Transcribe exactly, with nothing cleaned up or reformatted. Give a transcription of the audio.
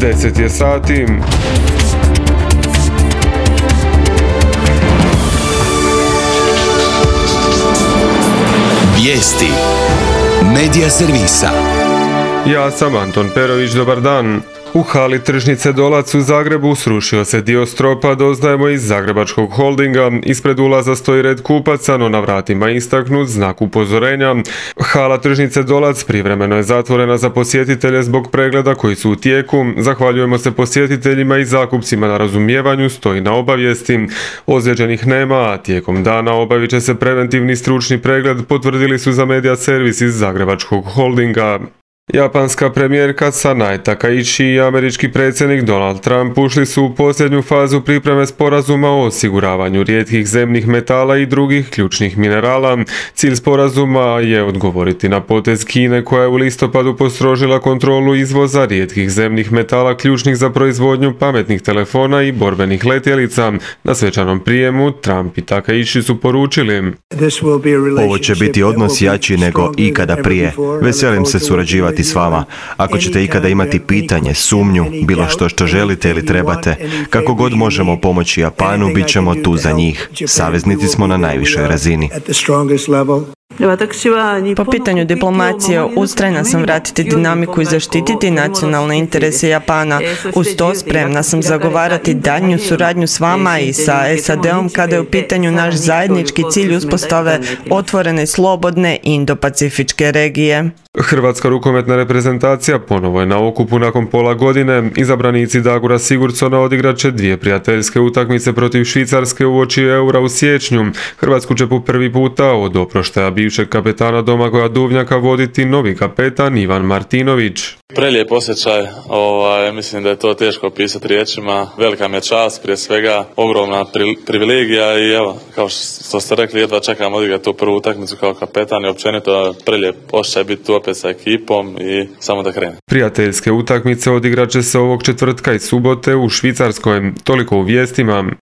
deset je sati. Vijesti Medija servisa. Ja sam Anton Perović, dobar dan. U hali tržnice Dolac u Zagrebu srušio se dio stropa, doznajemo iz Zagrebačkog holdinga. Ispred ulaza stoji red kupaca, no na vratima je istaknut znak upozorenja. Hala tržnice Dolac privremeno je zatvorena za posjetitelje zbog pregleda koji su u tijeku. Zahvaljujemo se posjetiteljima i zakupcima na razumijevanju, stoji na obavijesti. Ozlijeđenih nema, a tijekom dana obavit će se preventivni stručni pregled, potvrdili su za medija servis iz Zagrebačkog holdinga. Japanska premijerka Sanae Takaichi i američki predsjednik Donald Trump ušli su u posljednju fazu pripreme sporazuma o osiguravanju rijetkih zemnih metala i drugih ključnih minerala. Cilj sporazuma je odgovoriti na potez Kine koja je u listopadu postrožila kontrolu izvoza rijetkih zemnih metala ključnih za proizvodnju pametnih telefona i borbenih letjelica. Na svečanom prijemu Trump i Takaichi su poručili: Ovo će biti odnos jači nego ikada prije. Veselim se surađivati s vama. Ako ćete ikada imati pitanje, sumnju, bilo što što želite ili trebate, kako god možemo pomoći Japanu, bit ćemo tu za njih. Saveznici smo na najvišoj razini. Po pitanju diplomacije, ustrajna sam vratiti dinamiku i zaštititi nacionalne interese Japana. Uz to spremna sam zagovarati daljnju suradnju s vama i sa S A D-om kada je u pitanju naš zajednički cilj uspostave otvorene, slobodne Indo-Pacifičke regije. Hrvatska rukometna reprezentacija ponovo je na okupu nakon pola godine. Izabranici Dagura Sigurdsona odigrat će dvije prijateljske utakmice protiv Švicarske uoči Eura u siječnju. Hrvatsku će po prvi puta od oproštaja bivšeg kapetana Domagoja Duvnjaka voditi novi kapetan Ivan Martinović. Prelijep osjećaj, ovaj, mislim da je to teško opisati riječima. Velika mi je čast, prije svega ogromna pri, privilegija i evo, kao što ste rekli, jedva čekam odigrati tu prvu utakmicu kao kapetan i općenito prelijep osjećaj biti tu opet sa ekipom i samo da krene. Prijateljske utakmice odigrat će se ovog četvrtka i subote u Švicarskoj. Toliko u vijestima.